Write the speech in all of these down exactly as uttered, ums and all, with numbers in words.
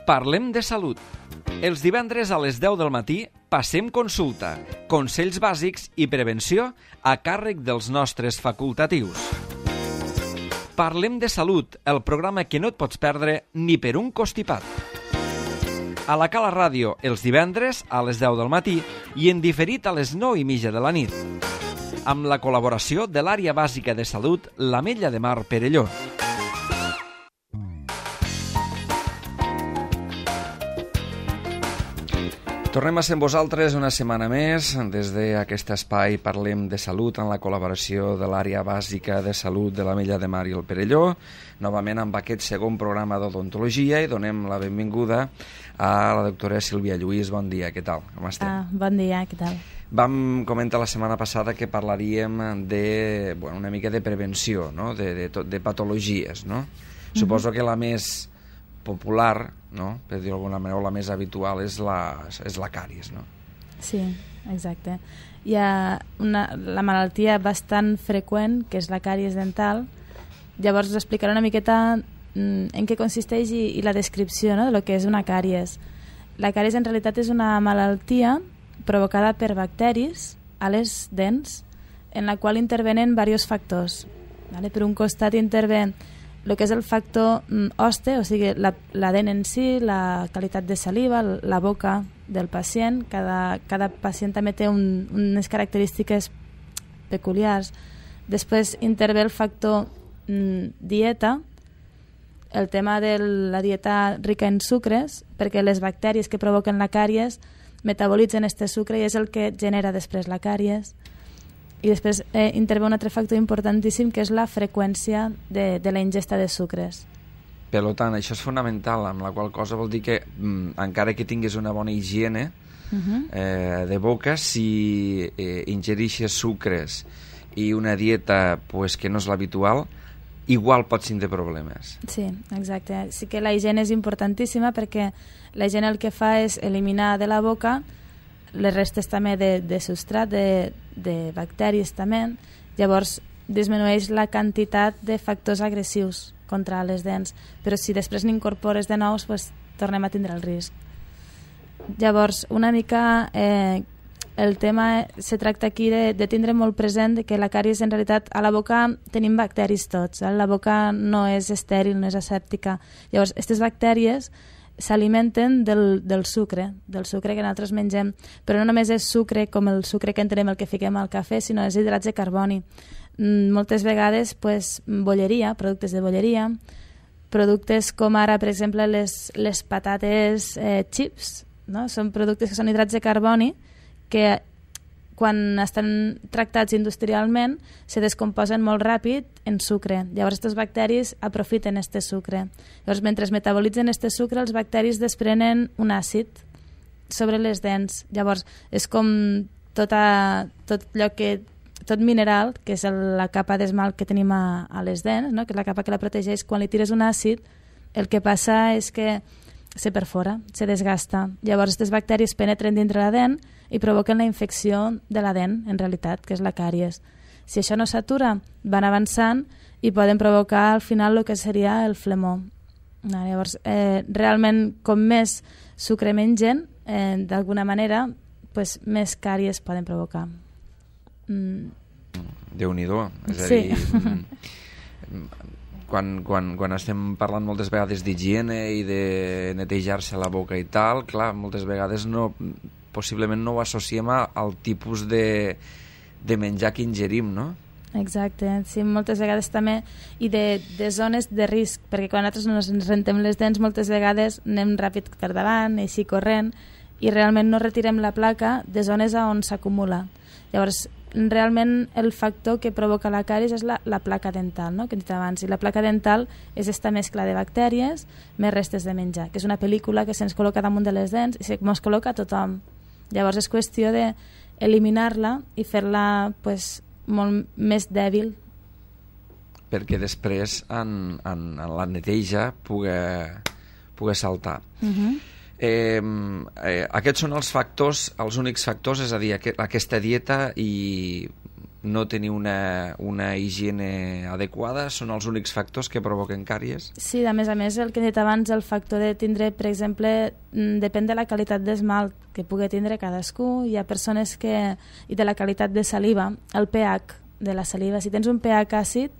Parlem de salut. Els divendres a les deu del matí passem consulta, consells bàsics i prevenció a càrrec dels nostres facultatius. Parlem de salut, el programa que no et pots perdre ni per un costipat. A la Cala Ràdio, els divendres a les deu del matí i en diferit a les nou i mitja de la nit. Amb la col·laboració de l'Àrea Bàsica de Salut, l'Ametlla de Mar Perelló. Tornem a ser amb vosaltres una setmana més. Des d'aquest espai Parlem de Salut amb la col·laboració de l'Àrea Bàsica de Salut de l'Ametlla de Mar i el Perelló. Novament amb aquest segon programa d'odontologia i donem la benvinguda a la doctora Sílvia Lluís. Bon dia, què tal? Com estem? Ah, bon dia, què tal? Vam comentar la setmana passada que parlaríem de, bueno, una mica de prevenció, no? de, de, de patologies, no? Mm-hmm. Suposo que la més popular, no? Per dir d'alguna manera, la més habitual és la, és la càries, no? Sí, exacte. Hi ha una, la malaltia bastant freqüent, que és la càries dental. Llavors us explicaré una miqueta en què consisteix i, i la descripció, no?, de lo que és una càries. La càries en realitat és una malaltia provocada per bacteris a les dents, en la qual intervenen diversos factors. Vale? Per un costat intervé el que és el factor hoste, o sigui, la, la dent en si, la qualitat de saliva, la boca del pacient. Cada, cada pacient també té un, unes característiques peculiars. Després intervé el factor mm, dieta, el tema de la dieta rica en sucres, perquè les bactèries que provoquen la càries metabolitzen este sucre i és el que genera després la càries. I després eh, intervé un altre factor importantíssim, que és la freqüència de, de la ingesta de sucres. Per tant, això és fonamental, amb la qual cosa vol dir que mm, encara que tinguis una bona higiene uh-huh. eh, de boca, si eh, ingerixes sucres i una dieta pues, que no és l'habitual, igual pots tindre problemes. Sí, exacte. Sí que la higiene és importantíssima, perquè la higiene el que fa és eliminar de la boca les restes també de, de substrat, de, de bacteris també. Llavors disminueix la quantitat de factors agressius contra les dents, però si després n'incorpores de nous, pues, tornem a tindre el risc. Llavors, una mica eh, el tema se tracta aquí de, de tindre molt present que la càries en realitat a la boca tenim bacteris tots, eh? La boca no és estèril, no és asèptica. Llavors, aquestes bactèries s'alimenten del, del sucre, del sucre que nosaltres mengem, però no només és sucre com el sucre que entenem, el que fiquem al cafè, sinó és hidrats de carboni. Mm, moltes vegades, pues, bolleria, productes de bolleria, productes com ara, per exemple, les, les patates eh, chips, no? Són productes que són hidrats de carboni que quan estan tractats industrialment se descomposen molt ràpid en sucre. Llavors, aquests bacteris aprofiten este sucre. Llavors, mentre es metabolitzen este sucre, els bacteris desprenen un àcid sobre les dents. Llavors, és com tota, tot allò que, tot mineral, que és el, la capa d'esmalt que tenim a, a les dents, no? Que és la capa que la protegeix. Quan li tires un àcid, el que passa és que se perfora, se desgasta. Llavors, aquestes bacteris penetren dintre la dent i provoquen la infecció de la dent, en realitat, que és la càries. Si això no s'atura, van avançant i poden provocar al final el que seria el flemó. Llavors, eh, realment, com més sucre mengen, eh, d'alguna manera, pues, més càries poden provocar. Mm. Déu-n'hi-do. És a sí. dir, quan, quan, quan estem parlant moltes vegades d'higiene i de netejar-se la boca i tal, clar, moltes vegades no, possiblement no ho associem al tipus de, de menjar que ingerim, no? Exacte, sí, moltes vegades també, i de, de zones de risc, perquè quan nosaltres ens rentem les dents moltes vegades anem ràpid per davant, així corrent, i realment no retirem la placa de zones on s'acumula. Llavors, realment el factor que provoca la càries és la, la placa dental, no?, que hem dit abans, i la placa dental és esta mescla de bactèries més restes de menjar, que és una pel·lícula que se'ns col·loca damunt de les dents i se'ns col·loca a tothom. Llavors és qüestió d'eliminar-la i fer-la, pues, molt més dèbil. Perquè després en, en, en la neteja pugui, pugui saltar. Uh-huh. Eh, eh, aquests són els factors, els únics factors, és a dir, aqu aquesta dieta i no tenir una, una higiene adequada són els únics factors que provoquen càries? Sí, a més a més, el que he dit abans, el factor de tindre, per exemple, depèn de la qualitat d'esmalt que pugui tindre cadascú. Hi ha persones que... i de la qualitat de saliva, el pH de la saliva. Si tens un pH àcid,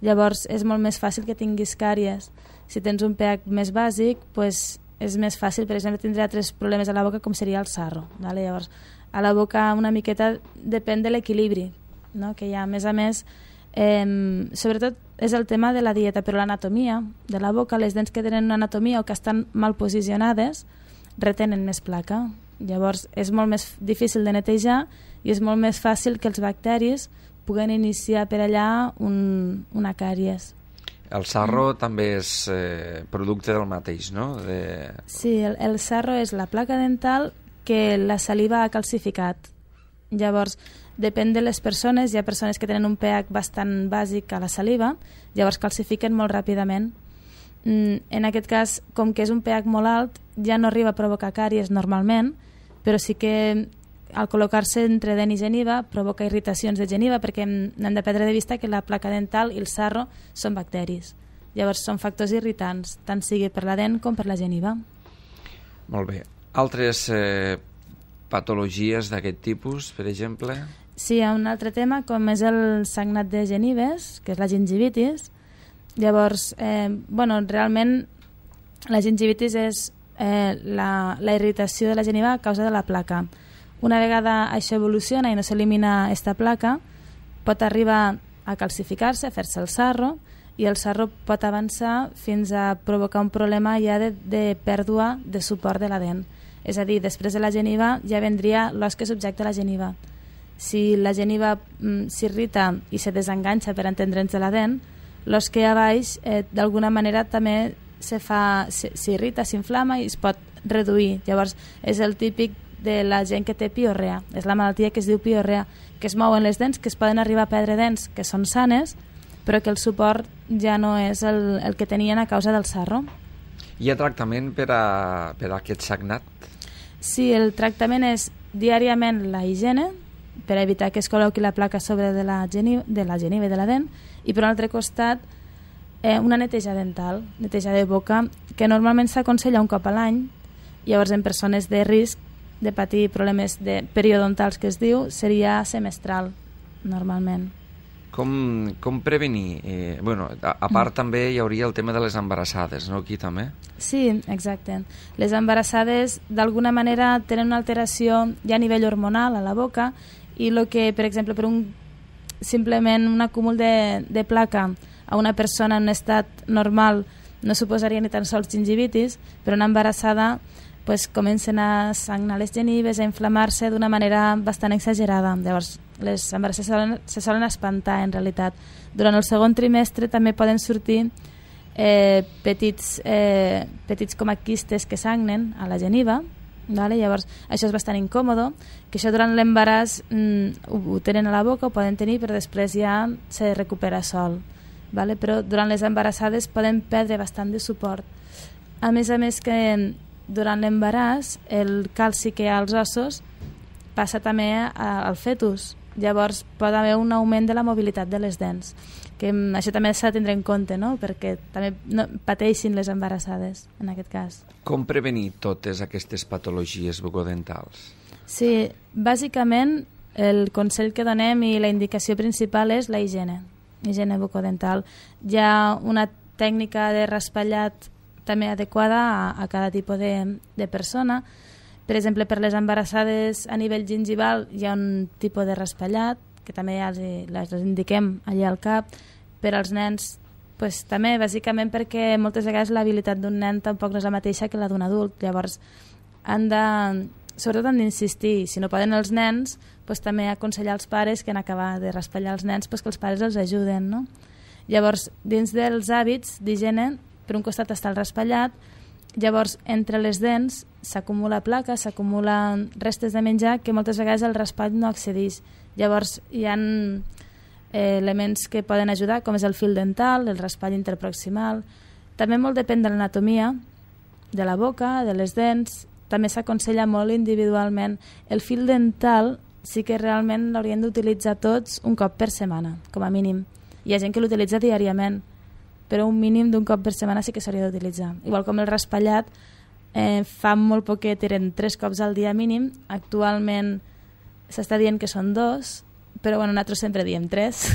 llavors és molt més fàcil que tinguis càries. Si tens un pH més bàsic, pues, és més fàcil, per exemple, tindre altres problemes a la boca com seria el sarro. Vale? Llavors, a la boca una miqueta depèn de l'equilibri, no? Que hi ha. A més a més, eh, sobretot és el tema de la dieta, però l'anatomia de la boca, les dents que tenen una anatomia o que estan mal posicionades, retenen més placa. Llavors és molt més difícil de netejar i és molt més fàcil que els bacteris puguen iniciar per allà un, una càries. El sarro mm. també és eh, producte del mateix, no? De... Sí, el, el sarro és la placa dental que la saliva ha calcificat. Llavors, depèn de les persones, hi ha persones que tenen un pH bastant bàsic a la saliva, llavors calcifiquen molt ràpidament. Mm, en aquest cas, com que és un pH molt alt, ja no arriba a provocar càries normalment, però sí que al col·locar-se entre dent i geniva provoca irritacions de geniva, perquè hem de perdre de vista que la placa dental i el sarro són bacteris. Llavors són factors irritants, tant sigui per la dent com per la geniva. Molt bé. Altres eh, patologies d'aquest tipus, per exemple? Sí, hi ha un altre tema, com és el sagnat de genives, que és la gingivitis. Llavors, eh, bueno, realment la gingivitis és eh, la, la irritació de la geniva a causa de la placa. Una vegada això evoluciona i no s'elimina aquesta placa, pot arribar a calcificar-se, a fer-se el sarro, i el sarro pot avançar fins a provocar un problema ja de, de pèrdua de suport de la dent. És a dir, després de la geniva ja vendria l'os que subjecta la geniva. Si la geniva mm, s'irrita i se desenganxa, per entendre'ns, de la dent, l'os que hi ha a baix eh, d'alguna manera també s'irrita, s'inflama i es pot reduir. Llavors és el típic de la gent que té piorrea. És la malaltia que es diu piorrea, que es mouen les dents, que es poden arribar a perdre dents que són sanes, però que el suport ja no és el, el que tenien a causa del sarro. Hi ha tractament per a, per a aquest sagnat? Sí, el tractament és diàriament la higiene, per evitar que es col·loqui la placa sobre de la geniva, de la geniva i de la dent, i per un altre costat eh, una neteja dental, neteja de boca, que normalment s'aconsella un cop a l'any. Llavors, en persones de risc de patir problemes de periodontals, que es diu, seria semestral, normalment. Com, com prevenir? Eh, bueno, a, a part mm. també hi hauria el tema de les embarassades, no? Aquí també? Sí, exacte. Les embarassades d'alguna manera tenen una alteració ja a nivell hormonal a la boca, i el que, per exemple, per un simplement un acúmul de, de placa a una persona en un estat normal no suposaria ni tan sols gingivitis, però una embarassada pues, comencen a sagnar les genives, a inflamar-se d'una manera bastant exagerada. Llavors, les embarassades se solen, se solen espantar, en realitat. Durant el segon trimestre també poden sortir eh, petits, eh, petits com a quistes que sagnen a la geniva, vale? Llavors, això és bastant incòmodo, que això durant l'embaràs mm, ho, ho tenen a la boca, ho poden tenir, però després ja se recupera sol. Vale? Però durant les embarassades poden perdre bastant de suport. A més a més que durant l'embaràs el calci que hi ha als ossos passa també a, al fetus. Llavors pot haver un augment de la mobilitat de les dents, que això també s'ha de tindre en compte, no? Perquè també no pateixin les embarassades en aquest cas. Com prevenir totes aquestes patologies bucodentals? Sí, bàsicament el consell que donem i la indicació principal és la higiene, higiene bucodental. Hi ha una tècnica de raspallat també adequada a, a cada tipus de, de persona. Per exemple, per les embarassades a nivell gingival hi ha un tipus de raspallat, que també ja els, les indiquem allà al cap. Per als nens, pues, també, bàsicament perquè moltes vegades l'habilitat d'un nen tampoc no és la mateixa que la d'un adult. Llavors, han de, sobretot han d'insistir. Si no poden els nens, pues, també aconsellar als pares que en acabar de raspallar els nens, pues, que els pares els ajuden, no? Llavors, dins dels hàbits d'higiene, per un costat està el raspallat, llavors entre les dents s'acumula placa, s'acumulen restes de menjar que moltes vegades el raspall no accedeix. Llavors hi ha eh, elements que poden ajudar, com és el fil dental, el raspall interproximal. També molt depèn de l'anatomia de la boca, de les dents. També s'aconsella molt individualment. El fil dental sí que realment l'haurien d'utilitzar tots un cop per setmana, com a mínim. Hi ha gent que l'utilitza diàriament, però un mínim d'un cop per setmana sí que s'hauria d'utilitzar. Igual com el raspallat, eh, fa molt poquet eren tres cops al dia mínim, actualment s'està dient que són dos, però bueno, nosaltres sempre diem tres.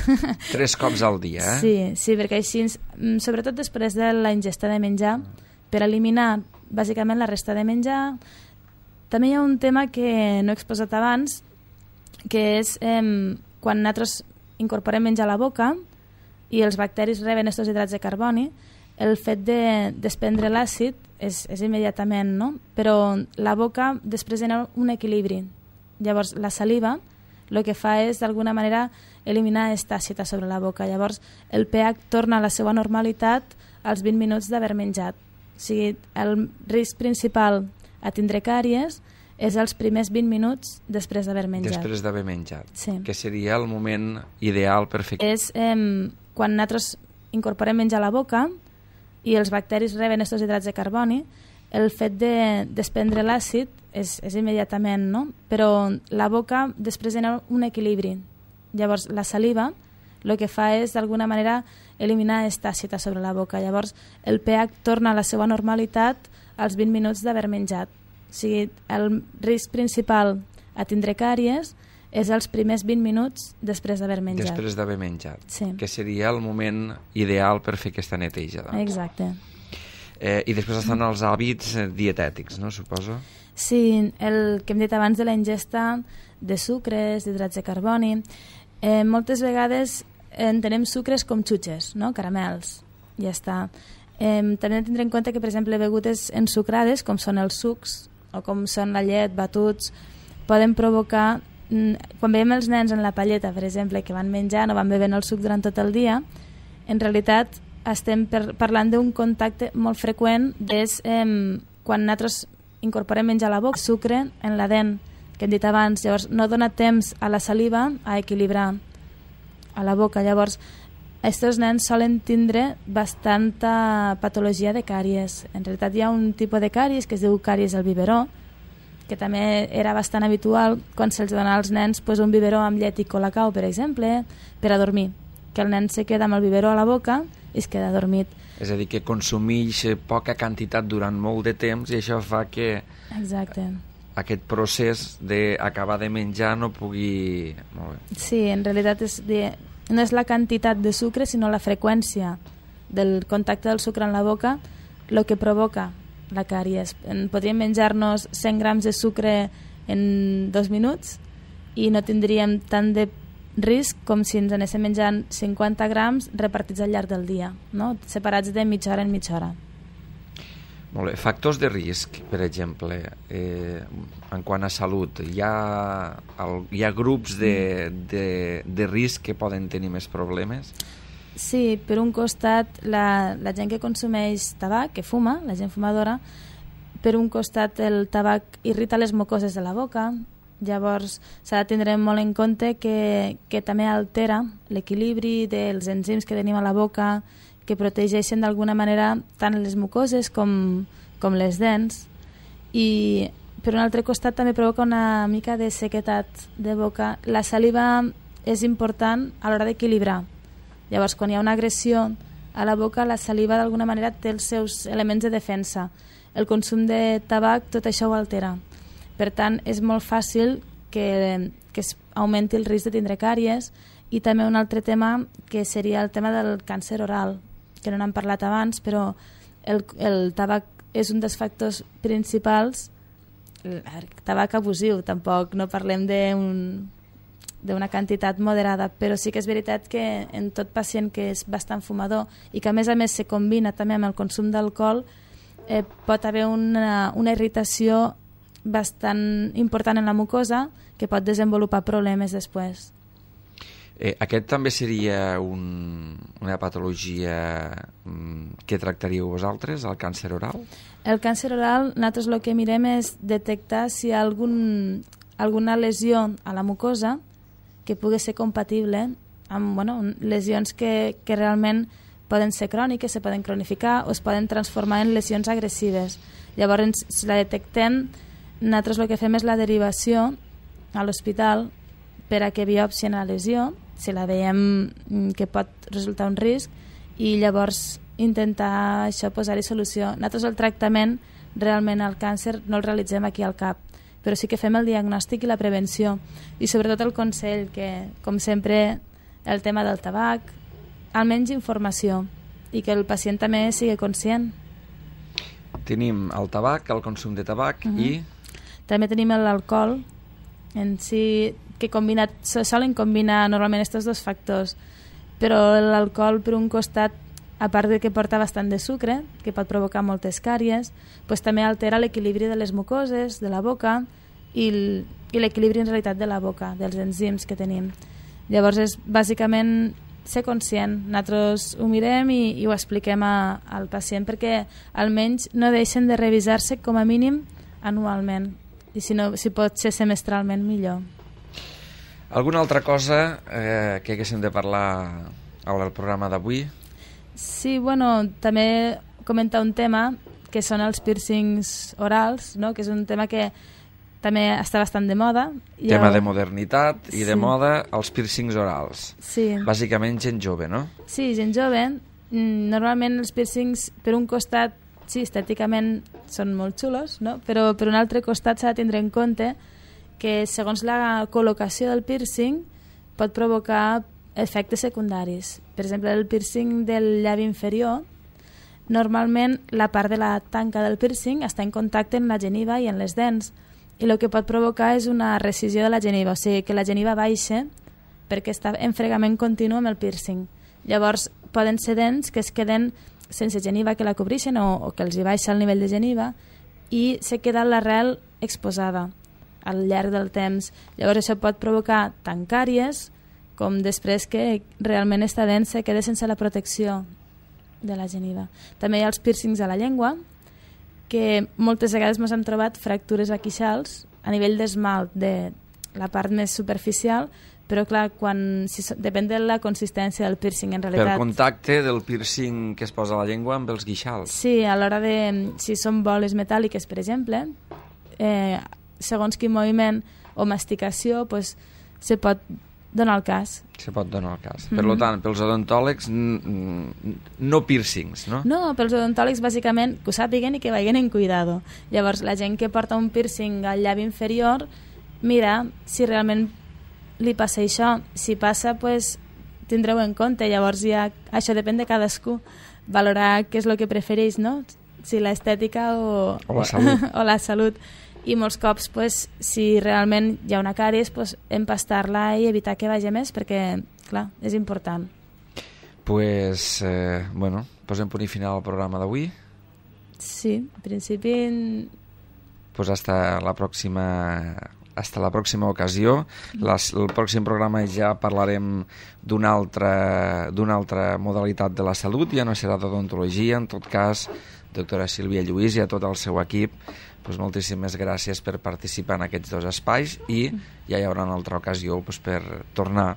Tres cops al dia, eh? Sí, sí, perquè així, sobretot després de la ingesta de menjar, per eliminar bàsicament la resta de menjar. També hi ha un tema que no he exposat abans, que és eh, quan nosaltres incorporem menjar a la boca i els bacteris reben estos hidrats de carboni, el fet de desprendre l'àcid és, és immediatament, no? Però la boca després genera un equilibri. Llavors, la saliva el que fa és, d'alguna manera, eliminar aquesta àcida sobre la boca. Llavors, el pH torna a la seva normalitat als vint minuts d'haver menjat. O sigui, el risc principal a tindre càries és els primers vint minuts després d'haver menjat. Després d'haver menjat. Sí. Que seria el moment ideal per fer... És eh, quan nosaltres incorporem menjar a la boca i els bacteris reben estos hidrats de carboni, el fet de desprendre l'àcid és, és immediatament, no? Però la boca després genera un equilibri. Llavors, la saliva el que fa és, d'alguna manera, eliminar aquesta àcida sobre la boca. Llavors, el pH torna a la seva normalitat als vint minuts d'haver menjat. O sigui, el risc principal a tindre càries és els primers vint minuts després d'haver menjat. Després d'haver menjat. Sí. Que seria el moment ideal per fer aquesta neteja. Doncs. Exacte. Eh, I després estan els hàbits dietètics, no, suposo? Sí, el que hem dit abans de la ingesta de sucres, d'hidrats de carboni. Eh, moltes vegades entenem sucres com xutxes, no? Caramels, ja està. Eh, també hem de tindre en compte que, per exemple, begudes ensucrades, com són els sucs, o com són la llet, batuts, poden provocar... Quan veiem els nens en la palleta, per exemple, que van menjant o van bevent el suc durant tot el dia, en realitat estem per, parlant d'un contacte molt freqüent des, eh, quan nosaltres incorporem menjar a la boca, sucre en la dent, que hem dit abans. Llavors no dona temps a la saliva a equilibrar a la boca. Llavors aquests nens solen tindre bastanta patologia de càries. En realitat hi ha un tipus de càries que es diu càries al biberó, que també era bastant habitual quan se'ls donava als nens pues, un biberó amb llet i colacao, per exemple, per a dormir, que el nen se queda amb el biberó a la boca i es queda dormit. És a dir, que consumeix poca quantitat durant molt de temps i això fa que Exacte. aquest procés d'acabar de menjar no pugui... Molt bé. Sí, en realitat és de... no és la quantitat de sucre, sinó la freqüència del contacte del sucre en la boca el que provoca la càries. Podríem menjar-nos cent grams de sucre en dos minuts i no tindríem tant de risc com si ens anéssim menjant cinquanta grams repartits al llarg del dia, no? Separats de mitja hora en mitja hora. Molt bé. Factors de risc, per exemple, eh, en quant a salut, hi ha, el, hi ha grups de, de, de risc que poden tenir més problemes? Sí, per un costat, la, la gent que consumeix tabac, que fuma, la gent fumadora, per un costat el tabac irrita les mucoses de la boca, llavors s'ha de tindre molt en compte que, que també altera l'equilibri dels enzims que tenim a la boca, que protegeixen d'alguna manera tant les mucoses com, com les dents, i per un altre costat també provoca una mica de sequetat de boca. La saliva és important a l'hora d'equilibrar. Llavors, quan hi ha una agressió a la boca, la saliva d'alguna manera té els seus elements de defensa. El consum de tabac tot això ho altera. Per tant, és molt fàcil que, que es augmenti el risc de tindre càries. I també un altre tema que seria el tema del càncer oral, que no n'hem parlat abans, però el, el tabac és un dels factors principals. El tabac abusiu, tampoc no parlem d'un d'una quantitat moderada, però sí que és veritat que en tot pacient que és bastant fumador i que a més a més se combina també amb el consum d'alcohol, eh, pot haver una, una irritació bastant important en la mucosa que pot desenvolupar problemes després. Eh, aquest també seria un, una patologia mm, que tractaríeu vosaltres, el càncer oral? El càncer oral, nosaltres el que mirem és detectar si hi ha algun, alguna lesió a la mucosa que pugui ser compatible amb bueno, lesions que, que realment poden ser cròniques, se poden cronificar o es poden transformar en lesions agressives. Llavors, si la detectem, nosaltres el que fem és la derivació a l'hospital per a que biòpsien la lesió, si la veiem que pot resultar un risc, i llavors intentar això posar-hi solució. Nosaltres el tractament realment al càncer no el realitzem aquí al cap, però sí que fem el diagnòstic i la prevenció, i sobretot el consell, que com sempre el tema del tabac, almenys informació, i que el pacient també sigui conscient. Tenim el tabac, el consum de tabac, uh-huh. i... També tenim l'alcohol, en si, que combinat, se solen combinar normalment aquests dos factors, però l'alcohol, per un costat, a part de que porta bastant de sucre, que pot provocar moltes càries, pues també altera l'equilibri de les mucoses, de la boca, i l'equilibri en realitat de la boca, dels enzims que tenim. Llavors és bàsicament ser conscient. Nosaltres ho mirem i, i ho expliquem a, al pacient perquè almenys no deixen de revisar-se com a mínim anualment, i si, no, si pot ser semestralment millor. Alguna altra cosa eh, que haguéssim de parlar al programa d'avui? Sí, bueno, també comentar un tema que són els piercings orals, no? Que és un tema que també està bastant de moda. Tema jo... de modernitat i sí. de moda, els piercings orals. Sí. Bàsicament gent jove, no? Sí, gent jove. Normalment els piercings, per un costat, sí, estèticament són molt xulos, no? Però per un altre costat s'ha de tindre en compte que segons la col·locació del piercing pot provocar efectes secundaris. Per exemple, el piercing del llavi inferior, normalment la part de la tanca del piercing està en contacte amb la geniva i en les dents, i el que pot provocar és una rescisió de la geniva, o sigui que la geniva baixa perquè està en fregament continu amb el piercing. Llavors poden ser dents que es queden sense geniva que la cobreixen o, o que els hi baixa el nivell de geniva i se queda l'arrel exposada al llarg del temps. Llavors això pot provocar tant càries com després que realment esta dent se queda sense la protecció de la geniva. També hi ha els piercings a la llengua, que moltes vegades ens han trobat fractures aquixals a nivell d'esmalt de la part més superficial, però clar, quan, si, depèn de la consistència del piercing en realitat. Per contacte del piercing que es posa a la llengua amb els guixals. Sí, a l'hora de... Si són boles metàl·liques, per exemple, eh, segons quin moviment o masticació, pues, se pot donar el cas. Se pot donar el cas. Mm-hmm. Per tant, pels odontòlegs, no piercings, no? No, pels odontòlegs, bàsicament, que ho sàpiguen i que vagin en cuidado. Llavors, la gent que porta un piercing al llavi inferior, mira si realment li passa això. Si passa, pues, tindreu en compte. Llavors, ja, això depèn de cadascú. Valorar què és el que prefereix, no? Si l'estètica o, o la salut. o la salut. I molts cops, pues, si realment hi ha una càries, pues, empastar-la i evitar que vagi més, perquè, clar, és important. Pues, eh, bueno, posem punt i final al programa d'avui. Sí, en principi... Pues hasta la pròxima... hasta la pròxima ocasió. Les, el pròxim programa ja parlarem d'una altra, d'una altra modalitat de la salut, ja no serà d'odontologia, en tot cas, doctora Sílvia Lluís i a tot el seu equip, pues moltíssimes gràcies per participar en aquests dos espais i ja hi haurà una altra ocasió pues, per tornar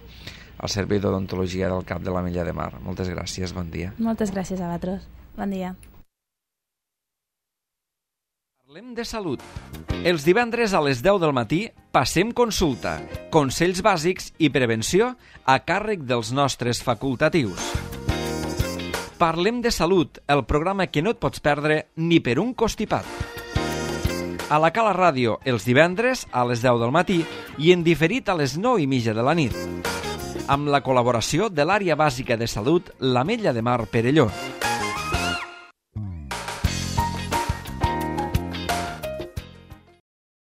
al servei d'odontologia del Cap de l'Ametlla de Mar. Moltes gràcies, bon dia. Moltes gràcies a vosaltres, bon dia. Parlem de salut. Els divendres a les deu del matí passem consulta, consells bàsics i prevenció a càrrec dels nostres facultatius. Parlem de salut, el programa que no et pots perdre ni per un costipat. A la Cala Ràdio, els divendres a les deu del matí i en diferit a les nou i mitja de la nit. Amb la col·laboració de l'Àrea Bàsica de Salut, l'Ametlla de Mar Perelló.